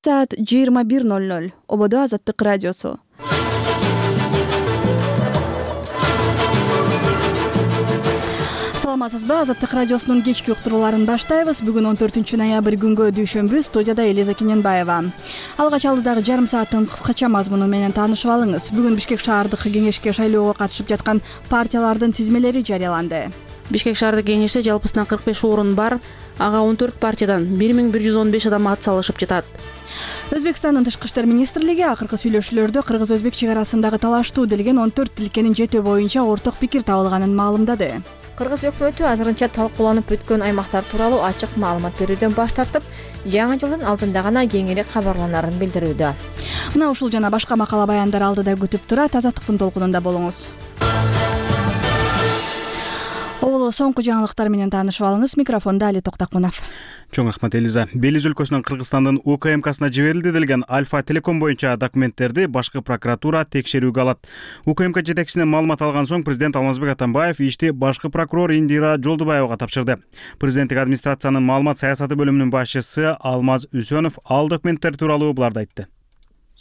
Saat 21:00 Obodo Азаттык радиосу. Саламатсызбы? Азаттык радиосунун кечки уктурууларын баштайбыз. Бүгүн 14 ноябрь күнгө дүйшөмбү. Студияда Элиза Кененбаева. Алгач алдыдагы жарым сааттын кыскача мазмуну менен таанышып алыңыз. Бүгүн Бишкек шаардык кеңешке шайлоого катышып жаткан партиялардын тизмелери жарыяланды. Бишкек шаардык кеңеште жалпысынан 45 орун бар. Ага 14 партиядан 1115 адам ат салышып жатат. Өзбекстандын Тышкы иштер министрлиги акыркы сүйлөшүүлөрдө кыргыз-өзбек чек арасындагы талаштуу делген 14 тилкенин жетөө боюнча орток пикир табылганын маалымдады. Кыргыз өкмөтү азырынча талкууланып бүткөн аймактар тууралуу ачык маалымат берүүдөн баш тартып, жаңы жылдын алдында гана кеңири кабарланарын билдирүүдө. Мына ушул жана башка макала баяндар алдыда күтүп турат. Азаттыктын толкунунда болуңуз. Оболо соңку жаңылыктар менен таанышып алыңыз. Микрофондо Али Токтакунов. Чоң рахмат Элиза. Белиз өлкөсүнүн Кыргызстандын УКМКсына жиберилди делген Альфа Телеком боюнча документтерди башкы прокуратура текшерүүгө алат. УКМК жетекчисинен маалымат алган соң президент Алмазбек Атамбаев ишти башкы прокурор Индира Жолдубаевага тапшырды. Президенттик администрациянын маалымат саясаты бөлүмүнүн башчысы Алмаз Үсөнов ал документтер тууралуу буларды айтты.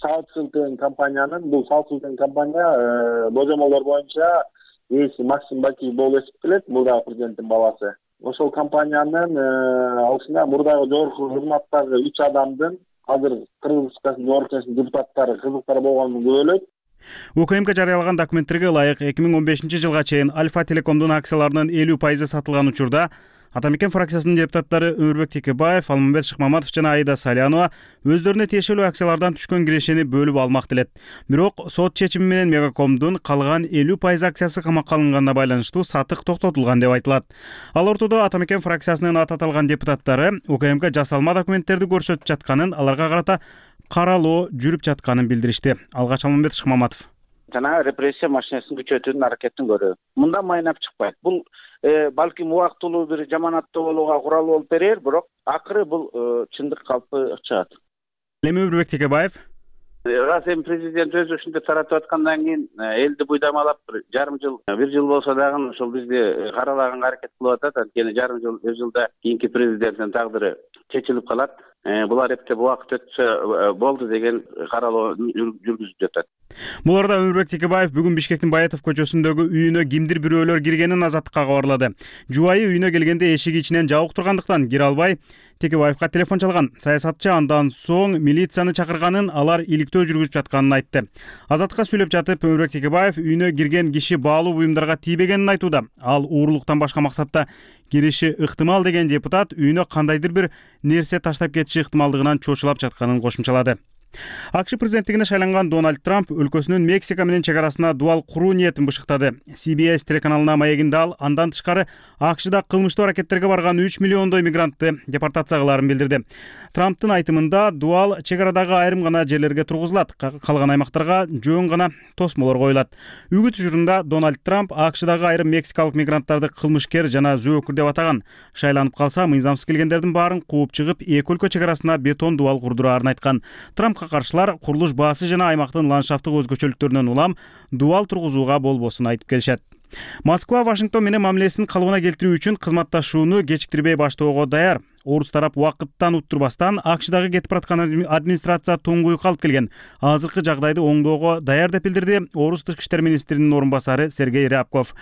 Бул салт компания божомолдор боюнча ээси Максим Бакиев болуп эсептелет. Бул да президенттин баласы. Ошол компаниянын алышында мурдагы жогорку кызматтагы 3 адамдын азыр Кыргыз Республикасынын жогорку кеңешинин депутаттары кызыктар болгонун көрөлөт. УКМК жарыялаган документтерге ылайык 2015 жылга чейин Альфа Телекомдун акцияларынын 50% сатылган учурда Атамекен фракциясынын депутаттары Өмүрбек Текебаев, Алмамбет Шыкмаматов жана Аида Салянова өздөрүнө тиешелүү акциялардан түшкөн кирешени бөлүп алмак делет. Бирок сот чечими менен Мегакомдун калган 50% акциясы камакка алынганына байланыштуу сатык токтотулган деп айтылат. Ал ортодо Атамекен фракциясынын аты аталган депутаттары УКМК жасалма документтерди көрсөтүп жатканын, аларга карата каралоо жүрүп жатканын билдиришти. Алгач Алмамбет Шыкмаматов. Жана репрессия машинесин күчөтүүнүн аракетин көрөбүз. Мындан майнап чыкпайт. Бул балким убактылуу бир жаманаттуу болууга курал болуп берер, бирок акыры бул чындык калпы чыгат. Эми Өмүрбек Текебаев Эми президент өзү ушинтип таратып аткандан кийин элди буйдамалап бир жыл болсо дагы ошол бизди каралаганга аракет кылып атат. Анткени жарым жыл, бир жылда кийинки президенттин тагдыры чечилип калат. Булар эптеп убакыт өтсө болду деген каралоо жүргүзүп жатат. Бул арада Өмүрбек Текебаев бүгүн Бишкектин Баятов көчөсүндөгү үйүнө кимдир бирөөлөр киргенин Азаттыкка кабарлады. Жубайы үйүнө келгенде эшиги ичинен жабык тургандыктан кире албай Текебаевка телефон чалган. Саясатчы андан соң милицияны чакырганын, алар иликтөө жүргүзүп жатканын айтты. Азаттыкка сүйлөп жатып Өмүрбек Текебаев үйүнө кирген киши баалуу буюмдарга тийбегенин айтууда. Ал уурулуктан башка максатта кириши ыктымал деген депутат үйүнө кандайдыр бир нерсе таштап кетиши ыктымалдыгынан чочулап жатканын кошумчалады. АКШ президенттигине шайланган Дональд Трамп өлкөсүнүн Мексика менен чек арасына дуал куруу ниетин бышыктады. CBS телеканалына маегинде ал андан тышкары АКШда кылмыштуу аракеттерге барган 3 миллиондой мигрантты депортация кылаарын билдирди. Трамптын айтымында дуал чек арадагы айрым гана жерлерге тургузулат, калган аймактарга жөн гана тосмолор коюлат. Үгүт учурунда Дональд Трамп АКШдагы айрым мексикалык мигранттарды кылмышкер жана зөөкүр деп атаган. Шайланып калса, мыйзамсыз келгендердин баарын кууп чыгып, эки өлкө чек арасына бетон дуал курдураарын айткан. Трампка каршылар курулуш баасы жана аймактын ландшафттык өзгөчөлүктөрүнөн улам дуал тургузууга болбосун айтып келишет. Москва Вашингтон менен мамилесин калыбына келтирүү үчүн кызматташууну кечиктирбей баштоого даяр. Орус тарап убакыттан уттурбастан АКШдагы кетип бараткан администрация туңгуюк алып келген. Азыркы жагдайды оңдоого даяр деп билдирди Орус тышкы иштер министринин орун басары Сергей Рябков.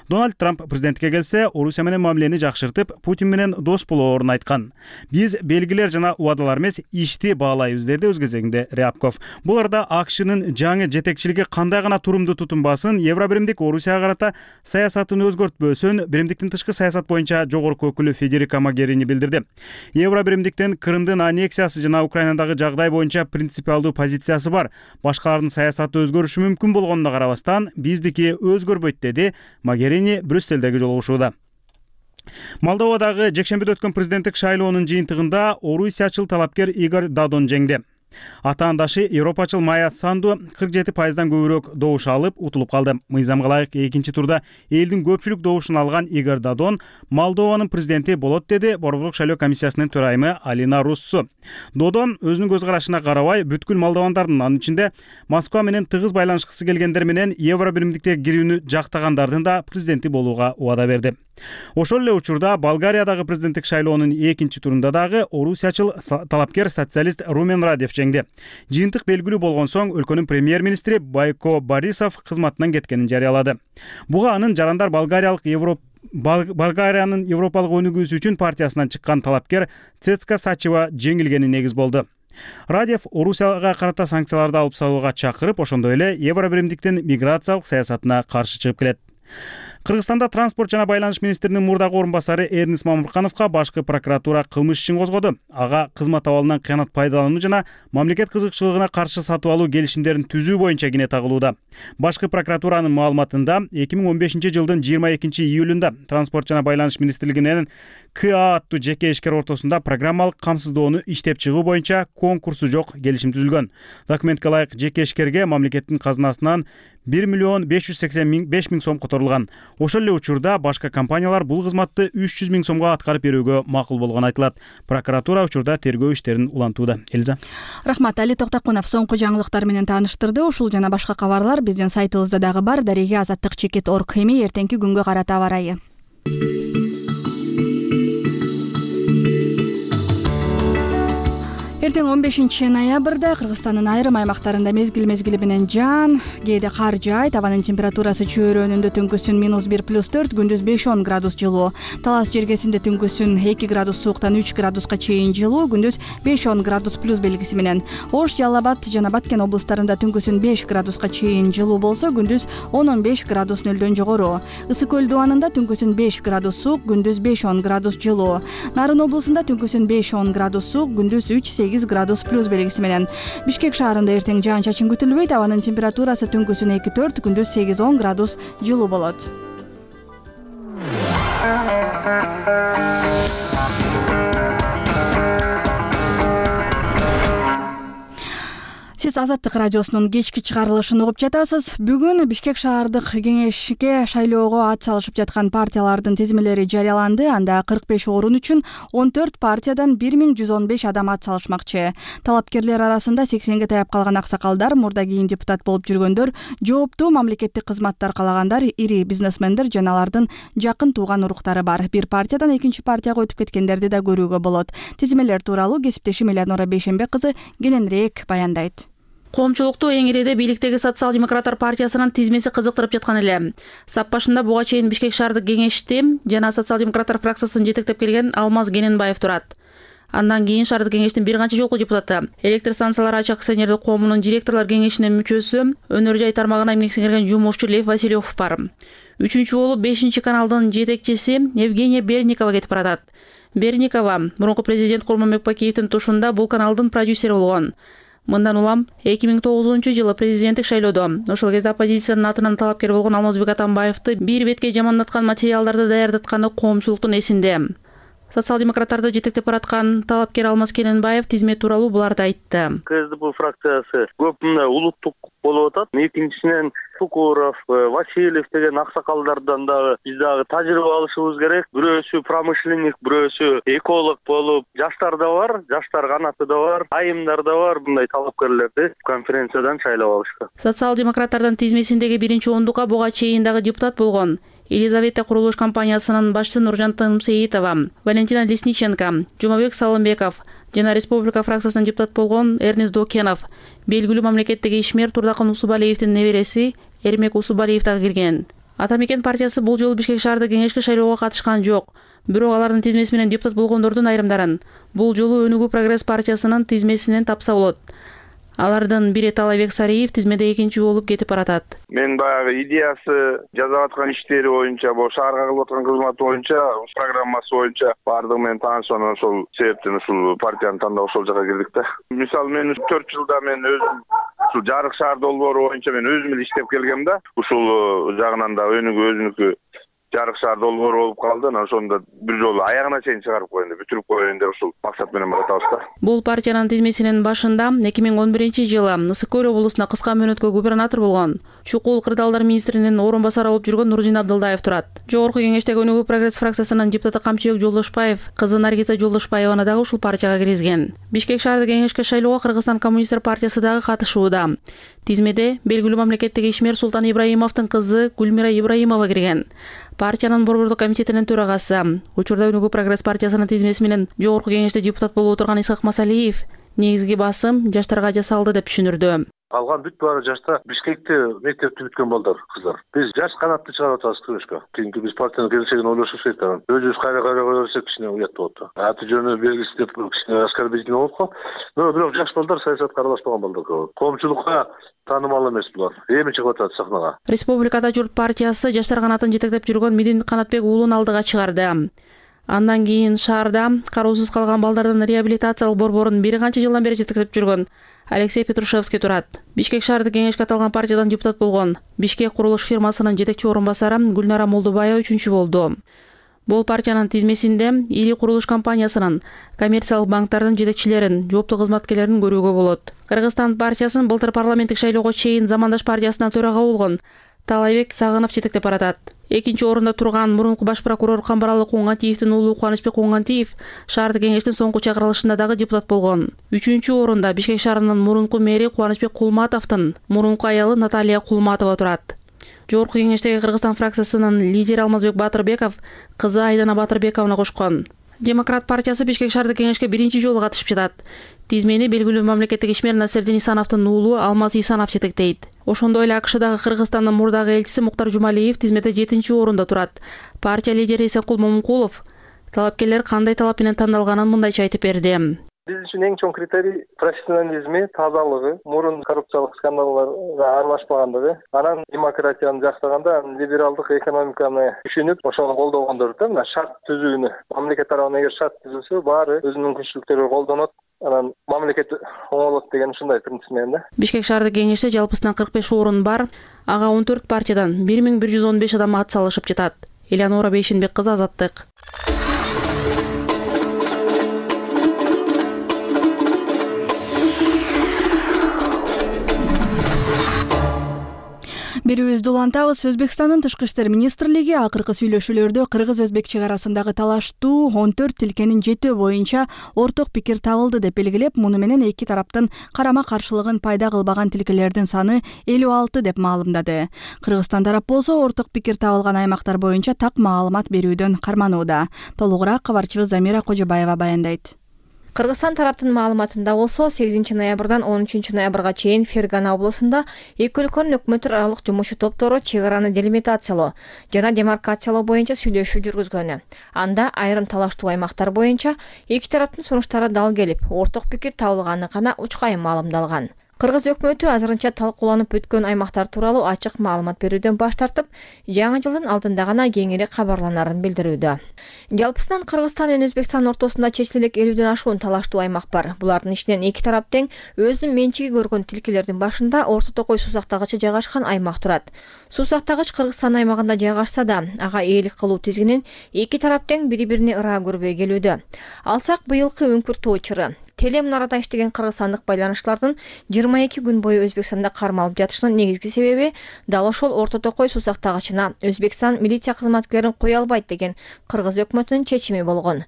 Дональд Трамп президенттикке келсе, Орусия менен мамилени жакшыртып, Путин менен дос болоорун айткан. Биз белгилер жана убадалар эмес, ишти баалайбыз, деди өз кезегинде Рябков. Бул арада АКШнын жаңы жетекчилиги кандай гана турумду тутунбасын, Евробиримдик Орусияга карата саясатын өзгөртпөсүн Биримдиктин тышкы саясат боюнча жогорку өкүлү Федерико Могерини билдирди. Евробиримдиктин Крымдын аннексиясы жана Украинадагы жагдай боюнча принципиалдуу позициясы бар. Башкалардын саясаты өзгөрүшү мүмкүн болгонуна карабастан, биздики өзгөрбөйт, деди Могерини Брюсселдеги жолугушууда. Молдовадагы жекшембиде өткөн президенттик шайлоонун жыйынтыгында орусиячыл талапкер Игорь Дадон жеңди. Атаандашы европачыл Майя Санду 47%дан көбүрөөк добуш алып утулуп калды. Мыйзамга ылайык экинчи турда элдин көпчүлүк добушун алган Игорь Дадон Молдованын президенти болот, деди Борборлук шайлоо комиссиясынын төрайымы Алина Руссу. Додон өзүнүн көз карашына карабай, бүткүл молдовандардын, анын ичинде Москва менен тыгыз байланышкысы келгендер менен Евробиримдикке кирүүнү жактагандардын да президенти болууга убада берди. Ошол эле учурда Болгариядагы президенттик шайлоонун экинчи турунда дагы орусиячыл талапкер социалист Румен Радев жеңди. Жыйынтык белгилүү болгон соң өлкөнүн премьер-министри Байко Борисов кызматынан кеткенин жарыялады. Буга анын жарандар Болгариянын Европалык өнүгүүсү үчүн партиясынан чыккан талапкер Цецка Сачева жеңилгени негиз болду. Радев Орусияга карата санкцияларды алып салууга чакырып, ошондой эле Евробиримдиктин миграциялык саясатына каршы чыгып келет. Кыргызстанда транспорт жана байланыш министринин мурдагы орун басары Эрнис Мамыркановго башкы прокуратура кылмыш ишин козгоду. Ага кызмат абалынан кыянат пайдалануу жана мамлекет кызыкчылыгына каршы сатып алуу келишимдерин түзүү боюнча кине тагылууда. Башкы прокуратуранын маалыматында 2015-жылдын 22-июлунда транспорт жана байланыш министрлиги менен КА аттуу жеке ишкер ортосунда программалык камсыздоону иштеп чыгуу боюнча конкурсу жок келишим түзүлгөн. Документке ылайык жеке ишкерге мамлекеттин казынасынан 1,585,000 сом которулган. Ошол эле учурда башка компаниялар бул кызматты 300,000 сомго аткарып берүүгө макул болгону айтылат. Прокуратура учурда тергөө иштерин улантууда. Элиза. Рахмат. Али Токтакунов соңку жаңылыктар менен тааныштырды. Ушул жана башка кабарлар биздин сайтыбызда дагы бар. Дареге azаттык.org. Эми эртеңки күнгө карата аба ырайы. Эртең 15-ноябрда Кыргызстандын айрым аймактарында мезгил менен жаан, кээде кар жаайт. Абанын температурасы чөйрөнүндө түнкүсүн -1+4, күндүз 5-10 градус жылуу. Талас жергесинде түнкүсүн 2 градус сууктан 3 градуска чейин жылуу, күндүз 5-10 градус плюс белгиси менен. Ош, Жалал Абад жана Баткен облустарында түнкүсүн 5 градуска чейин жылуу болсо, күндүз 10-15 градус нөлдөн жогору. Ысык көл дубанында түнкүсүн 5 градус суук, күндүз 5-10 градус жылуу. Нарын облусунда түнкүсүн 5-10 градус суук, күндүз 3-8 градус плюс белгиси менен. Бишкек шаарында эртең жаан-чачын күтүлбөйт. Абанын температурасы түнкүсүн 2-4, күндүз 8-10 градус жылуу болот. Сиз Азаттык радиосунун кечки чыгарылышын угуп жатасыз. Бүгүн Бишкек шаардык кеңешке шайлоого ат салышып жаткан партиялардын тизмелери жарыяланды. Анда 45 орун үчүн 14 партиядан 1115 адам ат салышмакчы. Талапкерлер арасында 80ге таяп калган аксакалдар, мурда кийин депутат болуп жүргөндөр, жооптуу мамлекеттик кызматтар калагандар, ири бизнесмендер жана алардын жакын тууган уруктары бар. Бир партиядан экинчи партияга өтүп кеткендерди да көрүүгө болот. Тизмелер тууралуу кесиптешим Элеонора Бейшенбек кызы кененирээк баяндайт. Коомчулукту эң иреде бийликтеги социал-демократтар партиясынын тизмеси кызыктырып жаткан эле. Сап башында буга чейин Бишкек шаардык кеңешти жана социал-демократтар фракциясын жетектеп келген Алмаз Кененбаев турат. Андан кийин шаардык кеңештин бир канча жолку депутаты, электр станциялары ачык акционердик коомунун директорлор кеңешинин мүчөсү, өнөр жай тармагына эмгек сиңирген жумушчу Лев Васильев бар. Үчүнчү болуп 5 каналдын жетекчиси Евгения Берникова кетип баратат. Берникова мурунку президент Курманбек Бакиевдин тушунда бул каналдын продюсери болгон. Мындан улам 2009-жылы президенттик шайлоодо ошол кезде оппозициянын атынан талапкер болгон Алмазбек Атамбаевди бир бетке жамандаткан материалдарды даярдатканы коомчулуктун эсинде. Социал-демократтарды жетектеп бараткан талапкер Алмаз Кененбаев тизмет тууралуу буларды айтты. КСДП фракциясы көп мындай улуттук болуп атат. Экинчисинен Сукуров, Васильев деген аксакалдардан дагы биз дагы тажрыйба алышыбыз керек. Бирөөсү промышленник, бирөөсү эколог болуп, жаштар да бар, жаштар канаты да бар, айымдар да бар. Мындай талапкерлерди конференциядан шайлап алышкан. Социал-демократтардын тизмесиндеги биринчи ондукка буга чейин дагы депутат болгон Елизавета курулуш компаниясынын башчысы Нуржан Тынымсеитова, Валентина Лесниченко, Жумабек Салымбеков жана Республика фракциясынын депутат болгон Эрнис Докенов, белгилүү мамлекеттеги ишмер Турдакын Усубалиевдин небереси Эрмек Усубалиев дагы кирген. Атамекен партиясы бул жолу Бишкек шаардык кеңешке шайлоого катышкан жок. Бирок алардын тизмеси менен депутат болгондордун айрымдарын бул жолу Өнүгүү прогресс партиясынын тизмесинен тапса болот. Алардын бири Талайбек Сариев тизмеде экинчи болуп кетип баратат. Мен баягы идеясы жасап аткан иштери боюнча, бул шаарга кылып аткан кызматы боюнча, программасы боюнча бардыгы менен таанышып, ошол себептен ушул партияны тандап ошол жака кирдик да. Мисалы мен 4 жылда мен өзүм ушул жарык шаар долбоору боюнча мен өзүм эле иштеп келгем да. Ушул жагынан да Өнүгүү өзүнүкү жарык шаар долбоору болуп калды. Ошондо бир жолу аягына чейин чыгарып коеюн деп, бүтүрүп коеюн деп ушул максат менен баратабыз да. Бул партиянын тизмесинин башында 2011-жылы Ысык көл облусуна кыска мөөнөткө губернатор болгон чукул кырдаалдар министринин орун басары болуп жүргөн Нурдин Абдылдаев турат. Жогорку кеңештеги Өнүгүү прогресс фракциясынын депутаты Камчыбек Жолдошбаев кызы Наргиза Жолдошбаеваны дагы ушул партияга киргизген. Бишкек шаардык кеңешке шайлоого Кыргызстан коммунисттер партиясы дагы катышууда. Тизмеде белгилүү мамлекеттик ишмер Султан Ибраимовдун кызы Гүлмира Ибраимова кирген. Партиянын борбордук комитетинин төрагасы, учурда Өнүгүү прогресс партиясынын тизмеси менен жогорку кеңеште депутат болуп отурган Исхак Масалиев негизги басым жаштарга жасалды деп түшүндүрдү. Калган бүт баары жашта Бишкекте мектепти бүткөн балдар, кыздар. Биз жаш канатты чыгарып атабыз күрөшкө. Кийинки биз партиянын келечегин ойлошубуз керек да. Өзүбүз кайра кое берсек кичине уят болот да. Аты жөнү белгиси деп кичине оскорбительный болуп калат. Бирок жаш балдар саясатка аралашпаган балдар көп. Коомчулукка таанымал эмес булар. Эми чыгып атат сахнага. Республикада Журт партиясы жаштар канатын жетектеп жүргөн Медин Канатбек уулун алдыга чыгарды. Андан кийин шаарда кароосуз калган балдардын реабилитациялык борборун бир канча жылдан бери жетектеп жүргөн Алексей Петрушевский турат. Бишкек шаардык кеңешке аталган партиядан депутат болгон Бишкек курулуш фирмасынын жетекчи орун басары Гүлнара Молдубаева 3-чү болду. Бул партиянын тизмесинде Ири курулуш компаниясынын, коммерциялык банктардын жетекчилерин, жооптуу кызматкерлерин көрүүгө болот. Кыргызстан партиясын былтыр парламенттик шайлоого чейин Замандаш партиясына төрага болгон Талайбек Сагынов жетектеп баратат. Экинчи орунда турган мурунку баш прокурор Камбаралы Куңгантиевдин уулу Кубанычбек Куңгантиев шаардык кеңештин соңку чакырылышында дагы депутат болгон. 3-чү орунда Бишкек шаарынын мурунку мэри Кубанычбек Кулматовдун мурунку аялы Наталья Кулматова турат. Жогорку кеңештеги Кыргызстан фракциясынын лидери Алмазбек Батырбеков кызы Айдана Батырбековна кошкон. Демократ партиясы Бишкек шаардык кеңешке биринчи жолу катышып жатат. Тизмени белгилүү мамлекеттик ишмер Насердин Исановдун уулу Алмаз Исанов жетектейт. Ошондой эле АКШдагы Кыргызстандын мурдагы элчиси Муктар Жумалиев тизмеде 7-чи орунда турат. Партия лидери Исенкул Момункулов талапкерлер кандай талап менен тандалганын мындайча айтып берди. Биз үчүн эң чоң критерий профессионализми, тазалыгы, мурун коррупциялык скандалдарга аралашпагандыгы, анан демократияны жактаганда либералдык экономиканы түшүнүп, ошону колдогондор да, мына шарт түзүүнү. Мамлекет тарабынан эгер шарт түзүлсө, баары өзүнүн мүмкүнчүлүктөрү колдонот, анан мамлекет оңолот деген ушундай принцип менен да. Бишкек шаардык кеңеште жалпысынан 45 орун бар. Ага 14 партиядан 1115 адам ат салышып жатат. Элеонора Бейшенбек кызы, Азаттык. Берүүбүздү улантабыз. Өзбекстандын тышкы иштер министрлиги акыркы сүйлөшүүлөрдө кыргыз-өзбек чек арасындагы талаштуу 14 тилкенин жетөө боюнча орток пикир табылды деп белгилеп, муну менен эки тараптын карама каршылыгын пайда кылбаган тилкелердин саны 56 деп маалымдады. Кыргызстан тарап болсо орток пикир табылган аймактар боюнча так маалымат берүүдөн карманууда. Толугураак кабарчыбыз Замира Кожобаева баяндайт. Кыргызстан тараптын маалыматында болсо 8 ноябрдан 13 ноябрга чейин Фергана облусунда эки өлкөнүн өкмөт аралык жумушчу топтору чек араны делимитациялоо жана демаркациялоо боюнча сүйлөшүү жүргүзгөнү. Анда айрым талаштуу аймактар боюнча эки тараптын сунуштары дал келип, орток пикир табылганы гана учкайым маалымдалган. Кыргыз өкмөтү азырынча талкууланып бүткөн аймактар тууралуу ачык маалымат берүүдөн баш тартып, жаңы жылдын алдында гана кеңири кабарланарын билдирүүдө. Жалпысынан Кыргызстан менен Өзбекстан ортосунда чечиле элек 50ден ашуун талаштуу аймак бар. Булардын ичинен эки тарап тең өзүнүн менчиги көргөн тилкелердин башында Орто Токой суу сактагычы жайгашкан аймак турат. Суу сактагыч Кыргызстан аймагында жайгашса да, ага ээлик кылуу тизгинин эки тарап тең бири-бирине ыраа көрбөй келүүдө. Алсак быйылкы үңкүр тоо чыры телемунарада иштеген кыргызстандык байланышлардын 22 күн бою Өзбекстанда кармалып жатышынын негизги себеби дал ошол Орто Токой суу сактагычына Өзбекстан милиция кызматкерлерин кое албайт деген кыргыз өкмөтүнүн чечими болгон.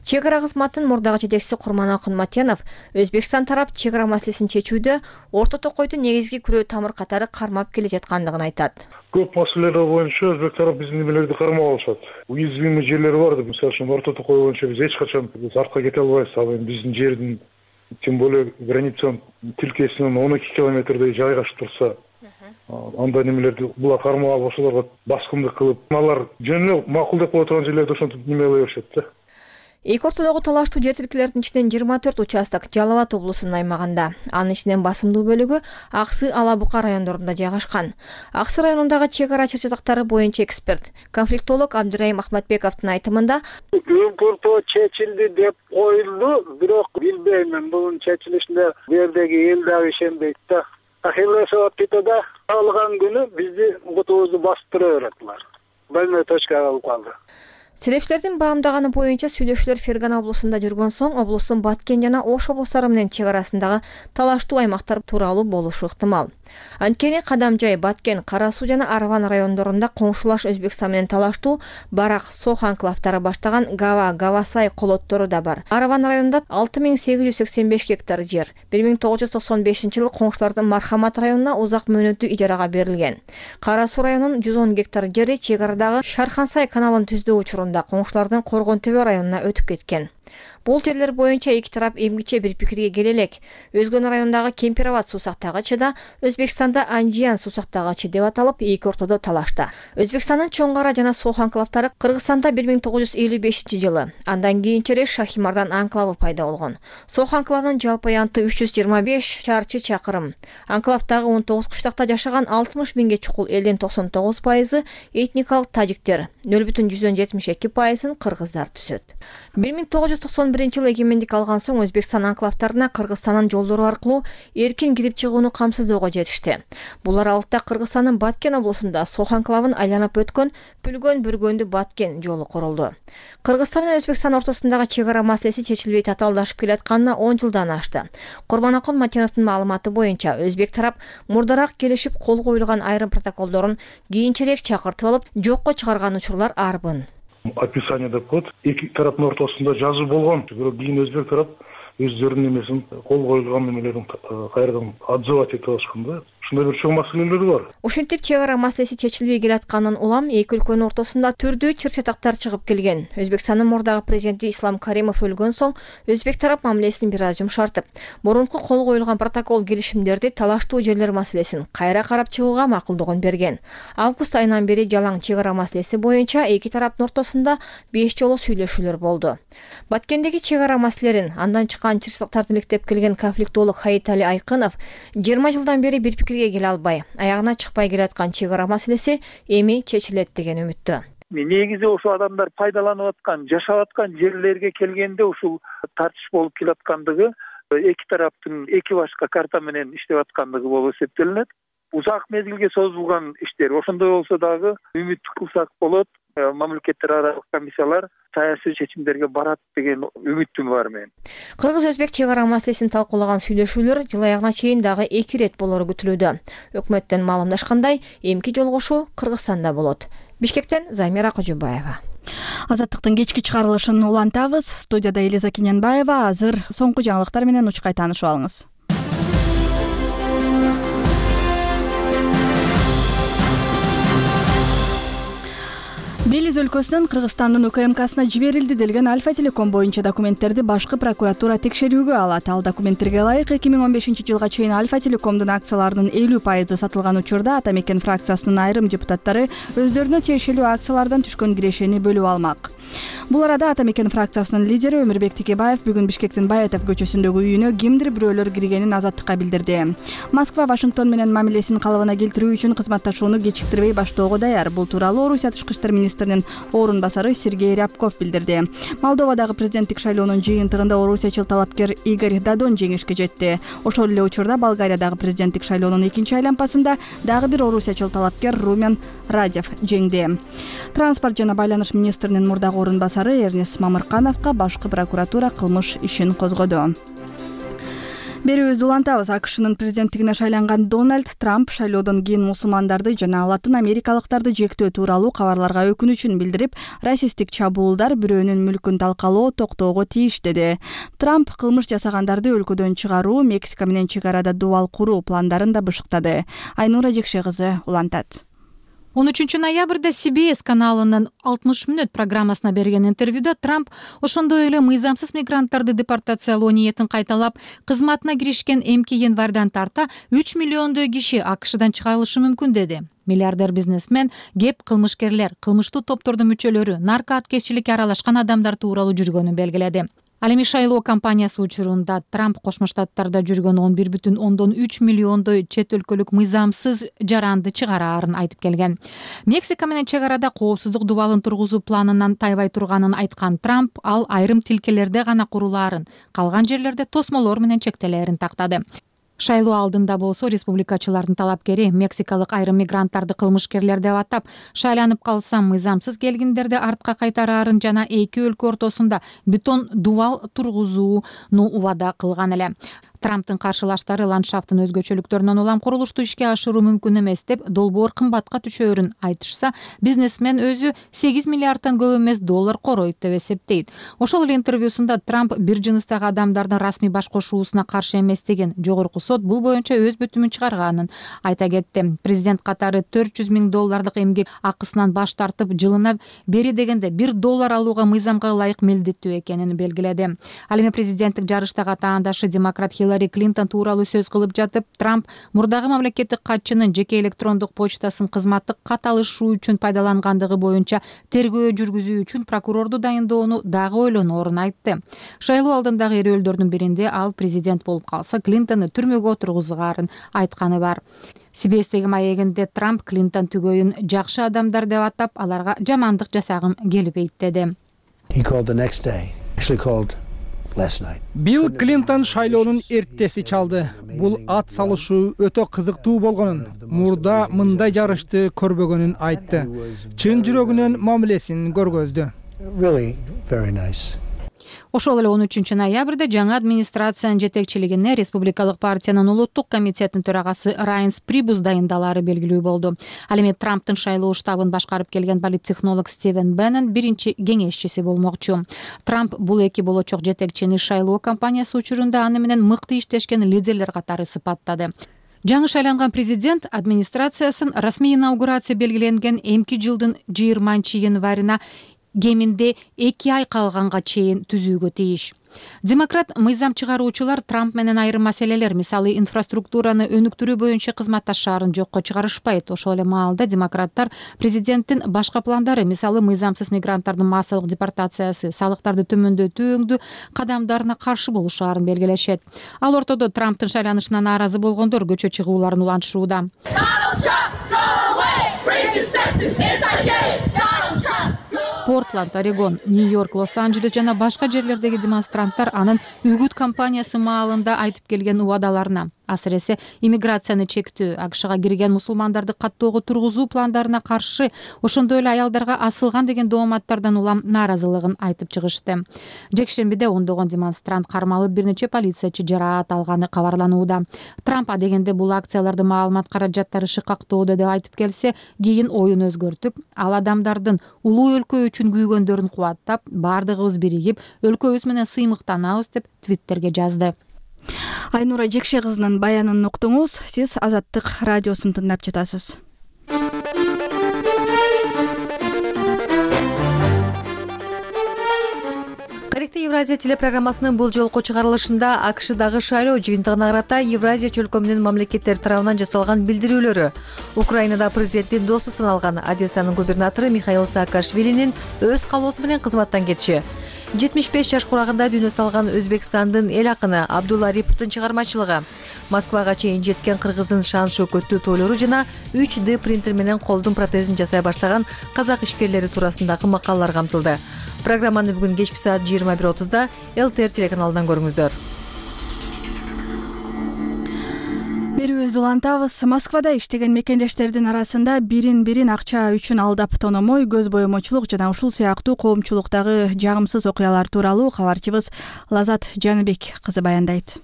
Чек ара кызматтын мурдагы жетекчиси Курманакун Матенов Өзбекстан тарап чек ара маселесин чечүүдө Орто Токойдун негизги күрөө тамыр катары кармап келе жаткандыгын айтат. Көп маселелер боюнча Өзбек тарап биздин немелерди кармап алышат. Уязвимый жерлери бар деп, мисалы үчүн Орто Токой боюнча биз эч качан артка кете албайбыз. Ал эми биздин жердин, тем более границанын тилкесинен 12 километрдей жайгашып турса, андай немелерди булар кармап алып ошолорго баскындык кылып, алар жөн эле макул деп кое турган жерлерди ошентип неме кыла беришет да. Эки ортодогу талаштуу жер тилкелердин ичинен 24 участок Жалал Абад облусунун аймагында, анын ичинен басымдуу бөлүгү Аксы, Ала Бука райондорунда жайгашкан. Аксы районундагы чек ара чыр-чатактары боюнча эксперт, конфликтолог Абдырайым Ахматбековдун айтымында, үңкүр тоо чечилди деп коюлду, бирок билбеймин, бунун чечилишине бу жердеги эл дагы ишенбейт да. Ахиллесов Титода алган күнү бизди кутубузду басып тура берет булар. Больной точкага алып калды. Серепчилердин баамдаганы боюнча сүйлөшүүлөр Фергана облусунда жүргөн соң облустун Баткен жана Ош облустары менен чек арасындагы талаштуу аймактар тууралуу болушу ыктымал. Анткени Кадамжай, Баткен, Кара Суу жана Арван райондорунда коңшулаш Өзбекстан менен талаштуу Барак, Сох анклавдары баштаган Гава, Гавасай колоттору да бар. Арван районунда 6885 гектар жер 1995-жылы коңшулардын Мархамат районуна узак мөөнөттүү ижарага берилген. Кара Суу районунун 110 гектар жери чек арадагы Шархансай каналын түздөө учурунда коңшулардын Коргон Төбө районуна өтүп кеткен. Бул жерлер боюнча эки тарап эмгиче бир пикирге келе элек. Өзгөн райондагы Кемпирабад суусактагычы да Өзбекстанда Анжиян суусактагычы деп аталып, эки ортодо талашта. Өзбекстандын Чоң Кара жана Сох анклавдары Кыргызстанда 1955-жылы, андан кийинчерээк Шахимардан анклавы пайда болгон. Сох анклавынын жалпы аянты 325 чарчы чакырым. Анклавдагы 19 кыштакта жашаган 60 миңге чукул элдин 99% этникалык тажиктер, 0,72% кыргыздар түзөт. 1991-жылы эгемендик алган соң Өзбекстан анклавдарына Кыргызстандын жолдору аркылуу эркин кирип чыгууну камсыздоого жетишти. Бул аралыкта Кыргызстандын Баткен облусунда Сох анклавын айланып өткөн Пүлгөн-Бүргөндү Баткен жолу курулду. Кыргызстан менен Өзбекстан ортосундагы чек ара маселеси чечилбей татаалдашып келатканына 10 жылдан ашты. Курманакул Матеновдун маалыматы боюнча Өзбек тарап мурдараак келишип кол коюлган айрым протоколдорун кийинчерээк чакыртып алып, жокко чыгарган учурлар арбын. Описание деп коет. Эки тараптын ортосунда жазуу болгон. Бирок кийин Өзбек тарап өздөрүнүн эмесин кол коюлган немелерин кайрадан отзывать этип алышкан да. Ушундай бир чоң маселелер бар. Ушинтип чек ара маселеси чечилбей келатканын улам эки өлкөнүн ортосунда түрдүү чыр-чатактар чыгып келген. Өзбекстандын мурдагы президенти Ислам Каримов өлгөн соң Өзбек тарап мамилесин бир аз жумшартып, мурунку кол коюлган протокол келишимдерди талаштуу жерлер маселесин кайра карап чыгууга макулдугун берген. Август айынан бери жалаң чек ара маселеси боюнча эки тараптын ортосунда 5 жолу сүйлөшүүлөр болду. Баткендеги чек ара маселелерин андан чыккан чыр-чатактарды иликтеп келген конфликтолог Хаитали Айкынов 20 жылдан бери бир пикирге келе албай, аягына чыкпай келаткан чек ара маселеси эми чечилет деген үмүттө. Негизи ошо адамдар пайдаланып аткан, жашап аткан жерлерге келгенде ушул тартыш болуп келаткандыгы эки тараптын эки башка карта менен иштеп аткандыгы болуп эсептелинет. Узак мезгилге созулган иштер. Ошондой болсо дагы үмүт кылсак болот. Мамлекеттер аралык комиссиялар саясий чечимдерге барат деген үмүтүм бар менин. Кыргыз-Өзбек чек ара маселесин талкуулаган сүйлөшүүлөр жыл аягына чейин дагы 2 рет болору күтүлүүдө. Өкмөттөн маалымдашкандай, эмки жолугушуу Кыргызстанда болот. Бишкектен Замира Кожобаева. Азаттыктын кечки чыгарылышын улантабыз. Студияда Элиза Кененбаева. Азыр соңку жаңылыктар менен учкай таанышып алыңыз. Белиз өлкөсүнүн Кыргызстандын УКМКсына жиберилди делген Альфа Телеком боюнча документтерди башкы прокуратура текшерүүгө алат. Ал документтерге ылайык 2015-жылга чейин Альфа Телекомдун акцияларынын 50% сатылган учурда Атамекен фракциясынын айрым депутаттары өздөрүнө тиешелүү акциялардан түшкөн кирешени бөлүп алмак. Бул арада Атамекен фракциясынын лидери Өмүрбек Текебаев бүгүн Бишкектин Баетов көчөсүндөгү үйүнө кимдир бирөөлөр киргенин Азаттыкка билдирди. Москва Вашингтон менен мамилесин калыбына келтирүү үчүн кызматташууну кечиктирбей баштоого даяр. Бул тууралуу Орусия тышкы иштер министринин орун басары Сергей Рябков билдирди. Молдовадагы президенттик шайлоонун жыйынтыгында орусиячыл талапкер Игорь Дадон жеңишке жетти. Ошол эле учурда Болгариядагы президенттик шайлоонун экинчи айлампасында дагы бир орусиячыл талапкер Румен Радев жеңди. Транспорт жана байланыш министринин мурдагы орун басары Эрнес Мамыркановго башкы прокуратура кылмыш ишин козгоду. Берүүбүздү улантабыз. АКШнын президенттигине шайланган Дональд Трамп шайлоодон кийин мусулмандарды жана латын америкалыктарды жектөө тууралуу кабарларга өкүнүчүн билдирип, расисттик чабуулдар бирөөнүн мүлкүн талкалоо токтоого тийиш деди. Трамп кылмыш жасагандарды өлкөдөн чыгаруу, Мексика менен чек арада дубал куруу пландарын да бышыктады. Айнура Жекше кызы улантат. 13 ноябрда CBS каналынын 60 мүнөт программасына берген интервьюда Трамп ошондой эле мыйзамсыз мигранттарды депортациялоо ниетин кайталап, кызматына киришкен эмки январдан тарта 3 миллиондой киши АКШдан чыгарылышы мүмкүн деди. Миллиардер бизнесмен, кеп кылмышкерлер, кылмыштуу топтордун мүчөлөрү, нарко аткезчиликке аралашкан адамдар тууралуу жүргөнүн белгиледи. Ал эми шайлоо кампаниясы учурунда Трамп Кошмо Штаттарда жүргөн 11,3 миллиондой чет өлкөлүк мыйзамсыз жаранды чыгараарын айтып келген. Мексика менен чек арада коопсуздук дубалын тургузуу планынан тайбай турганын айткан Трамп, ал айрым тилкелерде гана курулаарын, калган жерлерде тосмолор менен чектелерин тактады. Шайлоо алдында болсо республикачылардын талапкери мексикалык айрым мигранттарды кылмышкерлер деп атап, шайланып калсам мыйзамсыз келгиндерди артка кайтараарын жана эки өлкө ортосунда бетон дубал тургузууну убада кылган эле. Трамптын каршылаштары ландшафттын өзгөчөлүктөрүнөн улам курулушту ишке ашыруу мүмкүн эмес деп долбоор кымбатка түшөөрүн айтышса, бизнесмен өзү 8 миллиарддан көп эмес доллар короойт деп эсептейт. Ошол эле интервьюсунда Трамп бир жыныстагы адамдардын расмий баш кошуусуна каршы эмес деген, жогорку сот бул боюнча өз бүтүмүн чыгарганын айта кетти. Президент катары $400,000 эмгек акысынан баш тартып, жылына бери дегенде $1 алууга мыйзамга ылайык милдеттүү экенин белгиледи. Ал эми президенттик жарыштагы атаандашы демократ Хиллари Клинтон тууралуу сөз кылып жатып, Трамп мурдагы мамлекеттик катчынын жеке электрондук почтасын кызматтык кат алышы үчүн пайдалангандыгы боюнча тергөө жүргүзүү үчүн прокурорду дайындоону дагы ойлоноорун айтты. Шайлоо алдындагы эрөөлдөрдүн биринде ал президент болуп калса, Клинтонду түрмөгө отургузгаарын айтканы бар. CBS-теги маегинде Трамп Клинтон түгөйүн жакшы адамдар деп атап, аларга жамандык жасагым келбейт деди. Билл Клинтон шайлоонун эртеси чалды. Бул ат салышуу өтө кызыктуу болгонун, мурда мындай жарышты көрбөгөнүн айтты. Чын жүрөгүнөн мамилесин көргөздү. Ошол эле 13 ноябрда жаңы администрациянын жетекчилигине республикалык партиянын улуттук комитетинин төрагасы Райнс Прибус дайындалары белгилүү болду. Ал эми Трамптын шайлоо штабын башкарып келген политтехнолог Стивен Беннон биринчи кеңешчиси болмокчу. Трамп бул эки болочок жетекчини шайлоо кампаниясы учурунда аны менен мыкты иштешкен лидерлер катары сыпаттады. Жаңы шайланган президент администрациясын расмий инаугурация белгиленген эмки жылдын 20-январына кеминде 2 ай калганга чейин түзүүгө тийиш. Демократ мыйзам чыгаруучулар Трамп менен айрым маселелер, мисалы инфраструктураны өнүктүрүү боюнча кызматташаарын жокко чыгарышпайт. Ошол эле маалда демократтар президенттин башка пландары, мисалы мыйзамсыз мигранттардын массалык депортациясы, салыктарды төмөндөтүү өңдүү кадамдарына каршы болушаарын белгилешет. Ал ортодо Трамптын шайланышына нааразы болгондор көчө чыгууларын улантышууда. Портланд, Орегон, Нью-Йорк, Лос-Анджелес жана башка жерлердеги демонстранттар анын үгүт кампаниясы маалында айтып келген убадаларына, асыресе иммиграцияны чектөө, АКШга кирген мусулмандарды каттоого тургузуу пландарына каршы, ошондой эле аялдарга асылган деген дооматтардан улам нааразылыгын айтып чыгышты. Жекшембиде ондогон демонстрант кармалып, бир нече полициячы жараат алганы кабарланууда. Трамп дегенде бул акцияларды маалымат каражаттары шыкактоодо деп айтып келсе, кийин оюн өзгөртүп, ал адамдардын улуу өлкө үчүн күйгөндөрүн кубаттап, бардыгыбыз биригип, өлкөбүз менен сыймыктанабыз деп твиттерге жазды. Айнура Жекше кызынын баянын уктуңуз. Сиз Азаттык радиосун тыңдап жатасыз. Тарихты Евразия телепрограммасынын бул жолку чыгарылышында АКШдагы шайлоо жыйынтыгына карата Евразия чөлкөмүнүн мамлекеттери тарабынан жасалган билдирүүлөрү, Украинада президенттин досу саналган Одессанын губернатору Михаил Саакашвилинин өз калоосу менен кызматтан кетиши, 75 жаш курагында дүйнө салган Өзбекстандын эл акыны Абдулла Ариповдун чыгармачылыгы, Москвага чейин жеткен кыргыздын шан шөкөттүү тойлору жана 3D принтер менен колдун протезин жасай баштаган казак ишкерлери туурасындагы макалалар камтылды. Программаны бүгүн кечки саат 21:30 ЛТР телеканалынан көрүңүздөр. Берүүбүздү улантабыз. Москвада иштеген мекендештердин арасында бирин акча үчүн алдап тономой, көз боемочулук жана ушул сыяктуу коомчулуктагы жагымсыз окуялар тууралуу кабарчыбыз Лазат Жаныбек кызы баяндайт.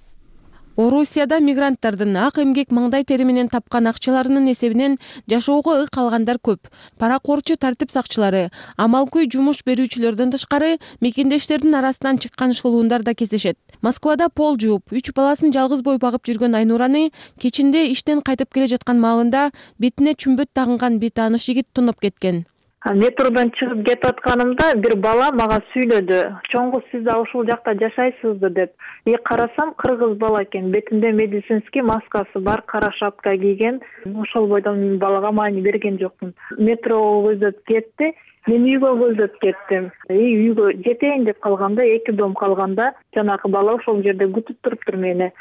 Орусияда мигранттардын ак эмгек маңдай тери менен тапкан акчаларынын эсебинен жашоого ык алгандар көп. Паракорчу тартип сакчылары, амалкөй жумуш берүүчүлөрдөн тышкары мекендештердин арасынан чыккан шылуундар да кездешет. Москвада пол жууп, 3 баласын жалгыз бой багып жүргөн Айнураны кечинде иштен кайтып келе жаткан маалында бетине чүмбөт тагынган бир тааныш жигит тунуп кеткен. Метродон чыгып кетип атканымда бир бала мага сүйлөдү. Чоңгу сиз да ушул жакта жашайсызбы деп. Карасам кыргыз бала экен. Бетинде медицинский маскасы бар, кара шапка кийген. Ошол бойдон балага маани берген жокмун. Метро көздөп кетти. Мен үйгө көздөп кеттим. Үйгө жетейин деп калганда, 2 дом калганда жанагы бала ошол жерде күтүп туруптур мени.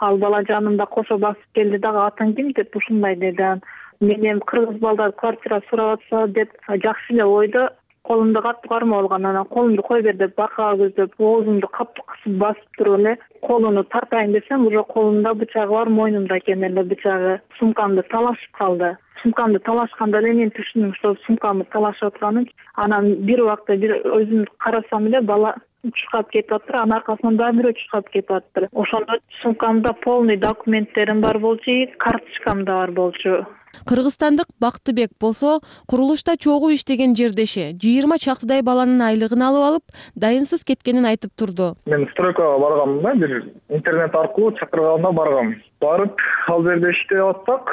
Ал бала жанымда кошо басып келди дагы, атаң ким деп ушундай деди. Менен кыргыз балдар квартира сурап атса деп жакшы эле ойдо колумду катуу кармап алган, анан колумду кой бер деп бакага көздөп оозумду катуу кысып басып туруп эле колуну тартайын десем, уже колумда бычагы бар, мойнумда экен эле бычагы. Сумкамды талашып калды. Сумкамды талашканда эле мен түшүндүм, что сумкамды талашып атканын. Анан бир убакта бир өзүм карасам эле бала чуркап кетип атыр, анын аркасынан дагы бирөө чуркап кетип атыр. Ошондо сумкамда полный документтерим бар болчу, карточкам да бар болчу. Кыргызстандык Бактыбек болсо курулушта чогуу иштеген жердеши 20 чактыдай баланын айлыгын алып дайынсыз кеткенин айтып турду. Мен стройкага баргам да, бир интернет аркылуу чакырганда баргам. Барып ал жерде иштеп атсак,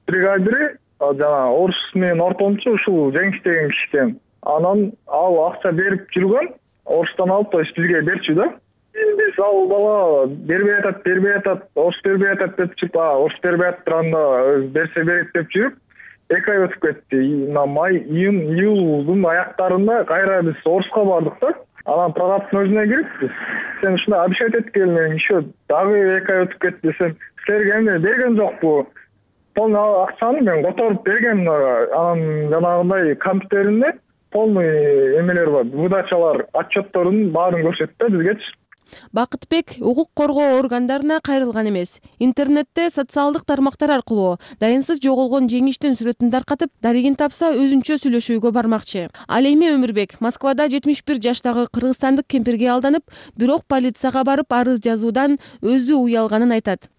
бригадири жана орус менен ортомчу ушул Жеңиш деген киши экен. Анан ал акча берип жүргөн, орустан алып, то есть бизге берчү да. Биз ал бала бербей атат, орус бербей атат деп чыгып, орус бербей атыранда берсе берет деп жүрүп, 2 ай өтүп кетти. Май, июлдун аяктарында кайра биз Орусга бардык да. Анан прокаттын өзүнө кирип, сен ушундай обещать эткел, мен еще дагы 2 ай өтүп кетти десем, силерге эмне берген жокпу? Полный акчаны мен которуп берген, анан жанагындай компьютеринде полный эмелер бар, выдачалар, отчеттордун баарын көрсөттү бизгечи. Бакытбек укук коргоо органдарына кайрылган эмес. Интернетте социалдык тармактар аркылуу дайынсыз жоголгон Жеңиштин сүрөтүн таркатып, дарегин тапса өзүнчө сүйлөшүүгө бармакчы. Ал эми Өмүрбек Москвада 71 жаштагы кыргызстандык кемпирге алданып, бирок полицияга барып арыз жазуудан өзү уялганын айтат.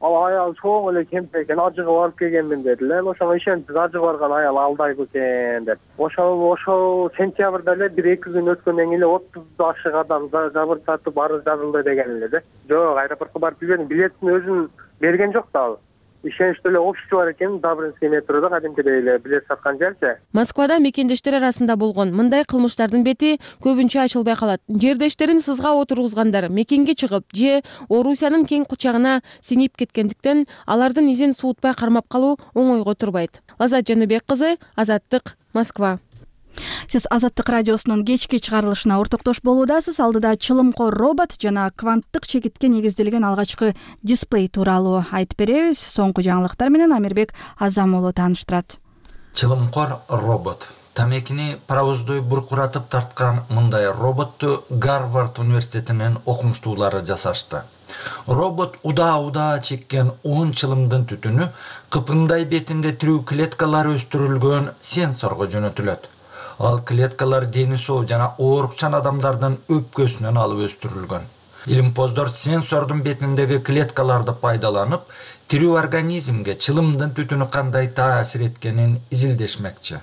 Ал аял чоң эле кемпир экен, ажыгып алып келгенмин деди эле. Ошого ишентип ажыгып барган аял алдайбы экен деп. Ошол сентябрда эле 1-2 күн өткөндөн кийин 30 жашык адам жабыр сатып арыз жазылды деген эле да. Жок, аэропортко барып билбедим. Билеттин өзүн берген жок да ал. Ишеничтүү эле офиси бар экен, Добрынский метрода кадимкидей эле билет саткан жерчи. Москвада мекендештер арасында болгон мындай кылмыштардын бети көбүнчө ачылбай калат. Жердештерин сызга отургузгандар мекенге чыгып же Орусиянын кең кучагына сиңип кеткендиктен алардын изин суутпай кармап калуу оңойго турбайт. Лазат Жаныбек кызы, Азаттык, Москва. Сиз Азаттык радиосунун кечки чыгарылышына ортоктош болуудасыз. Алдыда чылымкор робот жана кванттык чекитке негизделген алгачкы дисплей тууралуу айтып беребиз. Соңку жаңылыктар менен Амирбек Азам уулу тааныштырат. Чылымкор робот. Тамекини паровоздой буркуратып тарткан мындай роботту Гарвард университетинин окумуштуулары жасашты. Робот удаа чеккен 10 чылымдын түтүнү кыпындай бетинде тирүү клеткалар өстүрүлгөн сенсорго жөнөтүлөт. Ал клеткалар дени соо жана оорукчан адамдардын өпкөсүнөн алып өстүрүлгөн. Илимпоздор сенсордун бетиндеги клеткаларды пайдаланып, тирүү организмге чылымдын түтүнү кандай таасир эткенин изилдешмекчи.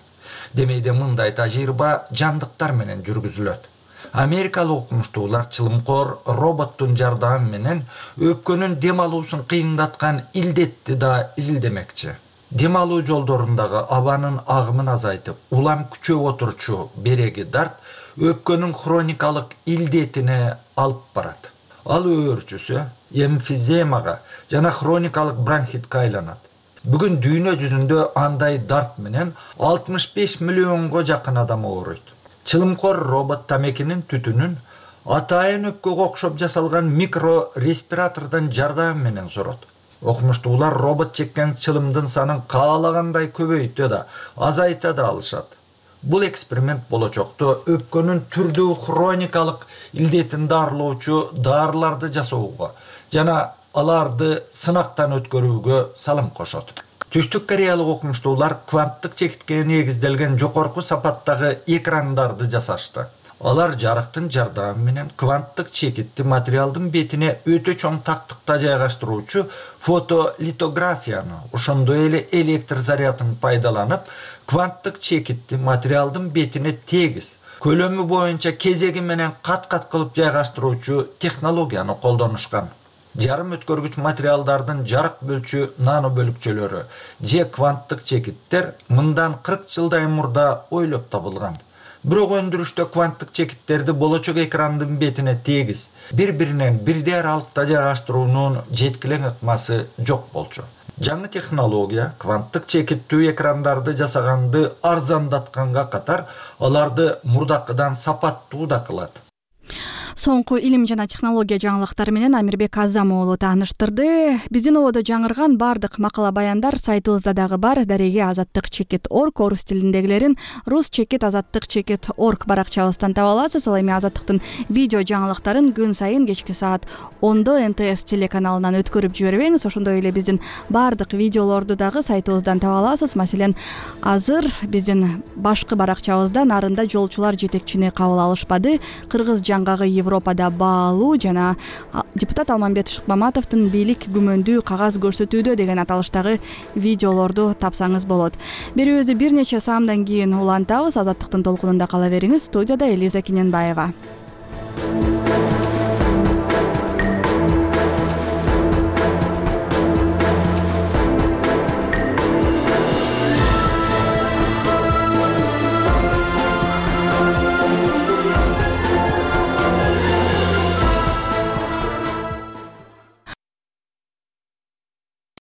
Демейде мындай тажрыйба жандыктар менен жүргүзүлөт. Америкалык окумуштуулар чылымкор роботтун жардамы менен өпкөнүн дем алуусун кыйындаткан илдетти да изилдемекчи. Дем алуу жолдорундагы абанын агымын азайтып, улам күчөп отурчу береги дарт өпкөнүн хроникалык илдетине алып барат. Ал өөрчүсү эмфиземага жана хроникалык бронхитке айланат. Бүгүн дүйнө жүзүндө андай дарт менен 65 миллионго жакын адам ооруйт. Чылымкор робот тамекинин түтүнүн атайын өпкөгө окшоп жасалган микро респиратордун жардамы менен сорот. Окумуштуулар робот чеккен чылымдын санын каалагандай көбөйтө да, азайта да алышат. Бул эксперимент болочокто өпкөнүн түрдүү хроникалык илдетин дарылоочу дарыларды жасоого жана аларды сынактан өткөрүүгө салым кошот. Түштүк кореялык окумуштуулар кванттык чекитке негизделген жогорку сапаттагы экрандарды жасашты. Алар жарыктын жардамы менен кванттык чекитти материалдын бетине өтө чоң тактыкта жайгаштыруучу фотолитографияны, ошондой эле электр зарядын пайдаланып, кванттык чекитти материалдын бетине тегиз, көлөмү боюнча кезеги менен кат-кат кылып жайгаштыруучу технологияны колдонушкан. Жарым өткөргүч материалдардын жарык бөлчү нано бөлүкчөлөрү же кванттык чекиттер мындан 40 жылдай мурда ойлоп табылган. Бирок өндүрүштө кванттык чекиттерди болочок экрандын бетине тегиз, бири-биринен бирдей аралыкта жайгаштыруунун жеткилең ыкмасы жок болчу. Жаңы технология кванттык чекиттүү экрандарды жасаганды арзандатканга катар, аларды мурдакыдан сапаттуу да кылат. Соңку илим жана технология жаңылыктары менен Амирбек Азам уулу тааныштырды. Биздин ободо жаңырган бардык макала баяндар сайтыбызда дагы бар. Дареги azattik.org орус тилиндегилерин rus.azattik.org баракчабыздан таба аласыз. Ал эми Азаттыктын видео жаңылыктарын күн сайын кечки саат 10-до НТС телеканалынан өткөрүп жибербеңиз. Ошондой эле биздин бардык видеолорду дагы сайтыбыздан таба аласыз. Маселен, азыр биздин башкы баракчабызда нарында жолчулар жетекчини кабыл алышпады. Кыргыз жаңгагы Европада баалуу жана депутат Алмамбет Шыкмаматовдун бийлик күмөндүү кагаз көрсөтүүдө деген аталыштагы видеолорду тапсаңыз болот. Берүүбүздү бир нече саамдан кийин улантабыз. Азаттыктын толкунунда кала бериңиз. Студияда Элиза Кененбаева.